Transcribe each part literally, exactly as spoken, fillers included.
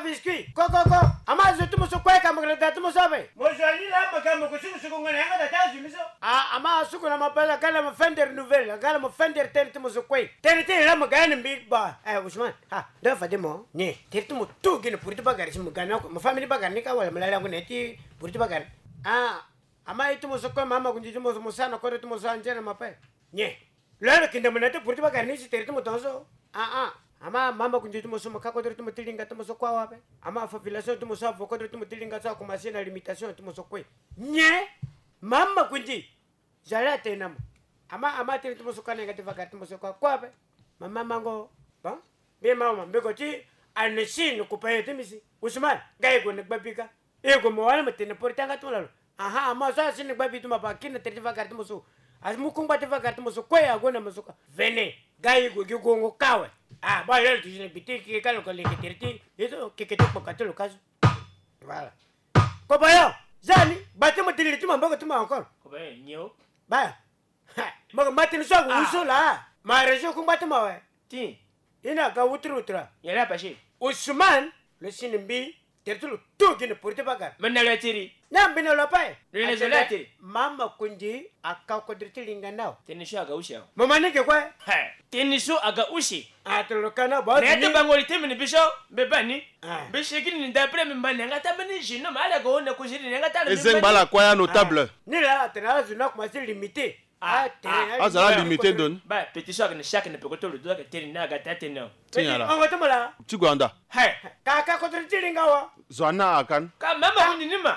Biscuit. Ko, ko, ko. Ama zo ti mo so kue ka mo ke na da ti mo so ape. Mo zo ani la mo ka mo ko suku suku ngo na yanga da ta zo mi so. Ah, ama suku na ma pala kala mo fender nouvelle, kala mo fender tene ti mo so kue. Tene ti la mo ga ni mbi ba. Eh, Ousmane. Ha, ndo fade mo. Ni, tene ti mo tu gi na puri ti bagara si mo ga na ko. Mo famille bagara ni ka wala mo la la ngo na ti puri ti bagara. Ah, ama ye ti mo so kue mama kundi ti mo so mo sa na kodro ti mo so anzia na ma pe. Nyen? Lo yano kinde mo na ti puri ti bagara ni si tere ti mo tongaso. Ah, ah. Ama mama kundi ti mo so mo ka kodro ti mo ti linga ti mo so kue awa ape. Ama population ti mo so avo kodro ti mo ti linga so akomanse na limitation ti mo so kue. Nyen? Mama kundi. Zo ala tene na mo. Ama, ama tene ti mo so kue na yanga ti bagara ti mo so kue kue ape. Mama mango. Bon. Mbi mama mbi ko ti ane si ni kupa ye ti mi si. Ousmane, ga ye gue na gba bi ka. E gue mo wani mo tene pori ti yanga ti mo lalo. Aha, ama so asi ni gba bi ti mo apa kiri na tere ti vagara ti mo so. Asi mu kungba ti vagara ti mo so kue ague na mo so kue. Vene, ga ye gue gi gongo ka awe. Ah, ba lalo ti si na gbi ti keke ka lo ko leke tere ti. Ye so keke ti kpoka ti lo ka so. Voilà. Kobayo, zani, gba ti mo diri ti mo maboko ti mo encore. Kobayo, nyo. Ba. Ha, mo ko ma tene so ague wu so la. Ma région kungba ti mo awe. Ti. I na ga wuturu wuturu. Nyen la pase? Ousmane, lo si ni mbi, tere ti lo tu gi na pori ti bagara. Me na lo ya tiri. Na mbi na lo ape. Lo na zo la tiri. Mama kundi aka kodro ti linga na awe. Tene so aga use awe. Mo ma ni ge kue. He, tene so aga use. Ah, tene lo ka na bo. Na ya ti bango li ti mbi ni biso, mbi ba ni. Ah. Mbi sigi ni d'après mbi mba ni yanga ti ambeni jeune homme, ala ga hon na koziri ni yanga ti ala. E zengba ala kue ya notable. Ni la, atene ala zo ni akomanse limité. Ah, ah, tere, ah, azo la limité ndoni. Ba, petit so ayeke na chaque na peko ti lo do ayeke tene ni aga taa tene o. Ti nyen ala? Petit, ongo ti mo laa. Ti gue anda. He. Ka, ka kodro ti linga wa. Zo ana akan. Ka mama kundi ni ma.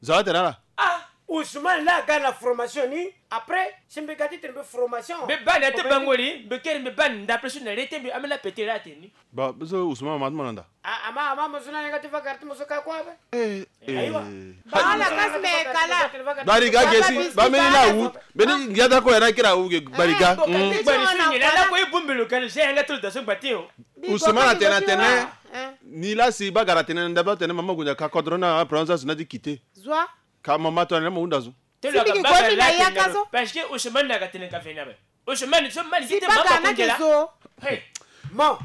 Zo atene ala. Ah. Ousmane la aga na formation ni. Après, si mbi ga ti tene mbi formation. Mbi ba ni ate bango li, mbi kiri mbi ba ni ndape so na le ti mbi ambeni la petit la atene ni. Ba, biso Ousmane ma ti mo na nda. Ah, ama, ama, mo so na yanga ti vagara ti mo so ka kue ape. Eh, eh. Ayiwa. Bala kasi me kala. Bariga gesi, ba meni na wu. Beni ngiata ko ya na kira wu ge bariga. Bari so ni la ko ibumbi lo kani se yanga ti lo da so gbati o. Ousmane atene atene. Ni la si bagara atene nda ba atene mama kundi aka kodro na pranza so na ti kite. Zwa. Ka mama to na mo hunda zo. Ti lo aga bagara la tene lo. Parce que Ousmane na aga tene ka fena be. Ousmane so mani kite mama kundi la. Hey. Mo.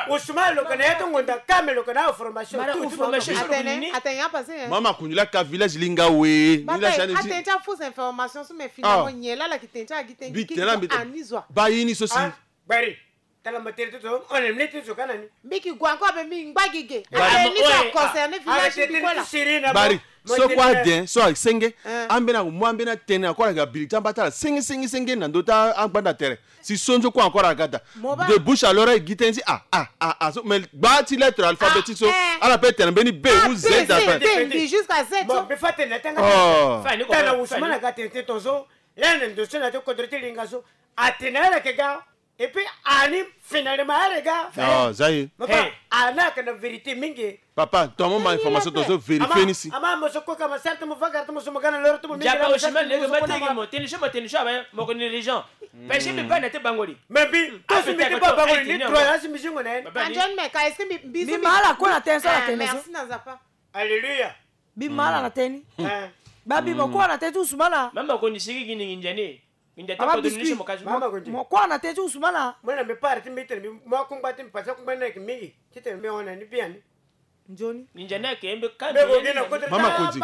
Ousmane lo kana ya ti ngonda ka me lo kana formation. Mara tout, tout formation. Atene, atene ya passé, hein. Mama kundi la ka village linga we. Ni la si ani ti. Atene ti afausse information so me finalement nyen la la ki tene ti agi tene. Bi tene la mbi tene. Ani zo. Ba ye ni so si. Ah, bari. Tala mo tere ti so, on est ni ti so kana ni. Mbi ki gue encore be mbi ngba gi ge. Bari. Atene ni so a concerné village ti mbi kue la. Bari. So kue aden so asenge. Ambeni amu ambeni atene encore aga biri ti amba ti ala senge senge senge na ndö ti angbanda tere. Si so nzo kue encore aga daa. De bouche à l'oreille gi tënë ti ah ah ah ah so mais gba ti lettre alphabet ti so. Ala pe tene mbeni B ou Z ape. Mbi jusqu'à Z so. Mbi fa tene na tanga. Oh. Tala Ousmane aga tene ti tongaso. Laa na ndo so na ti kodro ti linga so. Atene ala yeke ga. Et puis ani finalement ala ga. Ah, za ye. Papa, ana yeke na vérité mingi. Papa, ton mo ma information to zo vérifier ni si. Ama mo so koka ma sara ti mo vagara ti mo so mo ga na loro ti mo mingi. Japa la Ousmane lege ma tege mo tene so mo tene so awe mo ko ni région. Parce que mbi ba na ti bango li. Mais mbi to so mbi ti ba bango li ni droit ya si mbi zingo na ye. Anjon me ka est-ce que mbi mbi ma ala ko na tene so la tene so. Merci na Zapa. Alléluia. Mbi ma ala na tene ni. Ba mbi mo ko na tene ti Ousmane. Mama ko ni sigi gi ni nginza ni. Nginza ta kodro ni so mo ka zo. Mama ko ni. Mo ko na tene ti Ousmane. Mo na mbi pare ti mbi tene mbi mo akungba ti mbi pasa kungba ni ayeke mingi. Ti tene mbi hon na ni bien ni. Nzoni. Nginza ni ayeke mbi ka mbi. Mama ko ni.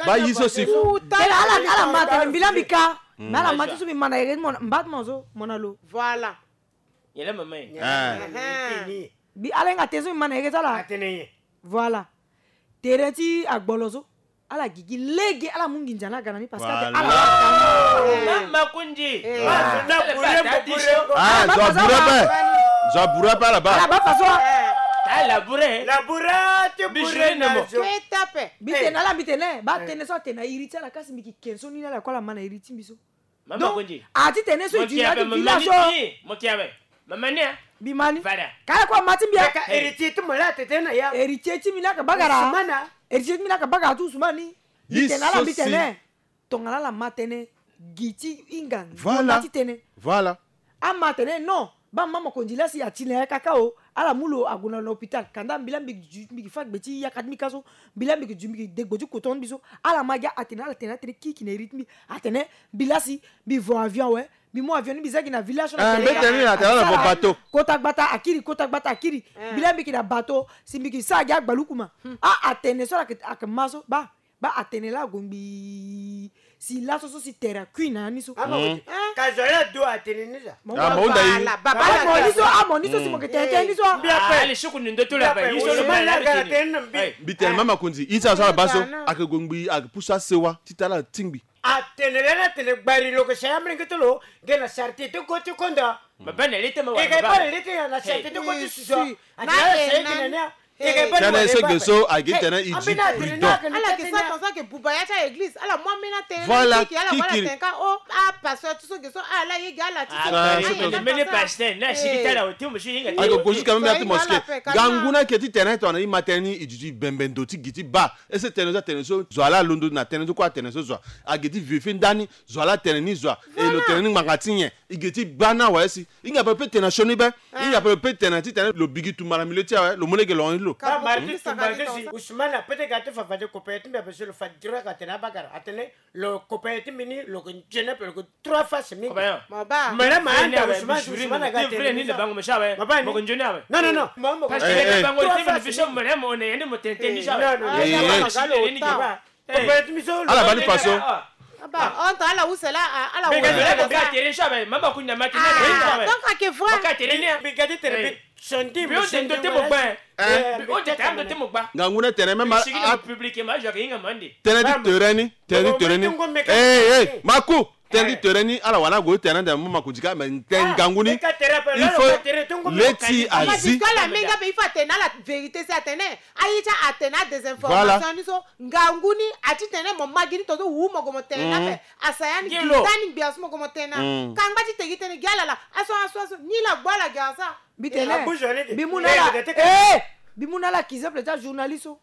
Ba ye so si. Tala ala ala ma tene mbi la mbi ka. Mais ala ma ti so mbi ma na ere mo mba ti mo so mo na lo. Voilà. Nyen la mama ye. Mbi ala hinga tene so mbi ma na ere ti ala. Atene nyen. Voilà. Tere ti agbolo so. Ala gigi lege ala mu nginza ni aga na ni parce que ate ala. Mama kundi. Ah, zo abure pe. Zo abure pe ala ba. Ala ba faso. Ala bure. La bure ti bure na zo. Keta pe. Mbi tene ala mbi tene ba tene so atene na iri ti ala kasi mbi ki ken so ni na ala ko ala ma na iri ti mbi so. Mama kundi. A ti tene so i ti na ti village so. Mo kia be. Mama ni a. Mbi ma ni. Kala kue ama ti mbi a. Héritier ti mo la tete na ya. Héritier ti mbi ni aka bagara. Héritier ti mbi ni aka bagara ti Ousmane ni. Mbi tene ala mbi tene. Tongana ala ma tene. Gi ti hinga. Voilà. Ti tene. Voilà. Ama tene non. Ba mama kondi la si ati na ya kaka o. Ala mu lo ague na hôpital, kanda mbi laa mbi gi ju, mbi gi fâ gbe ti yaka ti mbi ka so, mbi laa mbi gi ju, mbi gi degbo ti koton ti mbi so. Ala ma gi atene, ala tene, atene kiki na iri ti mbi. Atene mbi laa si mbi vo avion awe, mbi mu avion ni mbi za gi na village so na, ah, tene mbi tene ni na tene ala vo bateau. Kota gbata akiri, kota gbata akiri. Eh. Mbi laa mbi gi na bateau si mbi gi sara gi agbalukuma. Ah, atene so ala yeke, ala yeke ma so, baa, baa atene laa ague ngbii. Si laso so si tere akui na ya ni so. Ah, ma, hmm, ka zo ala do atene ni za. Ah, ma hunda ye. Baba, baba, ah, mo ni so, ah, mo ni so si mo yeke tene tene ni so. Mbi ape. Ah, ali suku ni ndo to la pe. Mbi ape. Yi so lo ma na mbi tene. Mbi tene, mama Konzi, ye ti ala so ala baa so, ayeke gue ngbii, ayeke pusu asewa ti tara ala tingbi. Atene lani atene gbari lo yeke si amolenge ti lo ge na charité ti ko ti konda. Baba na lete ma wa. E ke baba. Baa na lete ya na charité ti ko ti susu. Atene ala si ayeke na ni a. Tënë so ge so ayeke tënë e di prudent. Ala yeke sara tongaso ayeke buba ya ti a-église, ala mu ambeni atënë. Voilà, kiki, ala wara tene ka o, apasteur ti so ge so ala ye ge ala ti so. Ah, so ayeke mene pasteur na siki ti ala oti mo si hinga. Ayeke gue jusqu'à même ya ti mosquée. Ngangu ni ayeke ti tene tongana e ma tënë ni e duti bembe ndo ti gi ti baa. Ese tënë so atene so zo ala alondo na tënë so kue atene so zo. Age ti vérifier ndani zo ala tene ni zo. E lo tene ni ngbanga ti nyen? E ge ti baa ni awe si. Hinga ape lo peut tene na sioni be. Hinga ape lo peut tene na ti tene lo bigi tumba na milieu ti awe, lo mu lege lo hon ti lo. Baa Martin tumba ti si Ousmane ape ti ga ti fa fade kopaya ti mbi ape so lo fa direct atene abakara. Atene lo kopaya ti mbi ni lo yeke nzoni ape lo yeke trois fois mingi. Mabaa. Mene ma anda Ousmane, Ousmane aga tene ni. Mabaa ni. Non, non, non. Parce que bango ti mbi ni biso mene mo ne yende mo tene tene ni sa. Non, non, non. Ala baa ni faso. Ala use la, ala use la. Donc ake vrai. Ngangu ni atene même a, tënë ti tere ni, tënë ti tere ni. Eh, eh, maku. Tënë ti tere ni ala wara na gue ti tene ande mo maku dika, mais tënë ngangu ni. Il faut le ti azi. Ala mingi ape, il faut atene ala vérité si atene aye ti atene adésinformation ni so. Ngangu ni ati tene mo ma gi ni tongaso wu mo gue mo tene ni ape. Asaya ni gi ta ni ngbia so mo gue mo tene na kangba ti te gi tënë gi ala la. Aso, aso, aso, ni la gbu ala gi asa. Mbi tene, mbi mu na ala, eh, mbi mu na ala ki exemple ti ajournaliste so.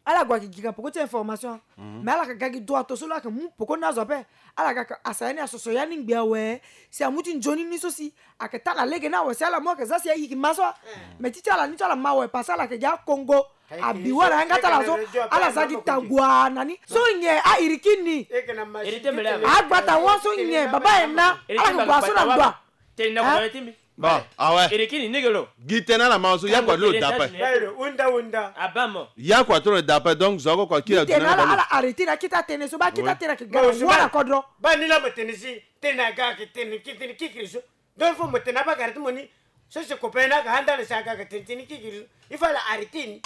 Ala gue ayeke gi ka peko ti information. Mais ala yeke ga gi droit to so lo ayeke mu peko ni azo ape. Ala ga ka asaya ni asoso ya ni ngbia awe. Si amu ti nzoni ni so si ayeke ta na lege ni awe si ala mu ayeke za si aye gi ma so. Mais ti ti ala ni so ala ma awe parce que ala yeke gi akongo. Abi wara yanga ti ala so, ala za gi tagua na ni. So nyen a iri kini. Agbata wa so nyen baba ye na. Ala yeke gua so na gua. Bon, awe. Iri kini nege lo. Gi tënë ala ma so, ya kua ti lo dape. Unda, unda. Aba mo. Ya kua ti lo dape, donc zo oko kiri. Tënë ala, ala arrêter na kita tënë so, ba kita tënë ke gara wala kodro. Ba ni la mo tene si, tënë aga ke tënë, ke tënë kikiri so. Donc il faut mo tene abakara ti mo ni. So si copain na ka anda le si aga ke tënë, tënë kikiri so. Il faut ala arrêter ni.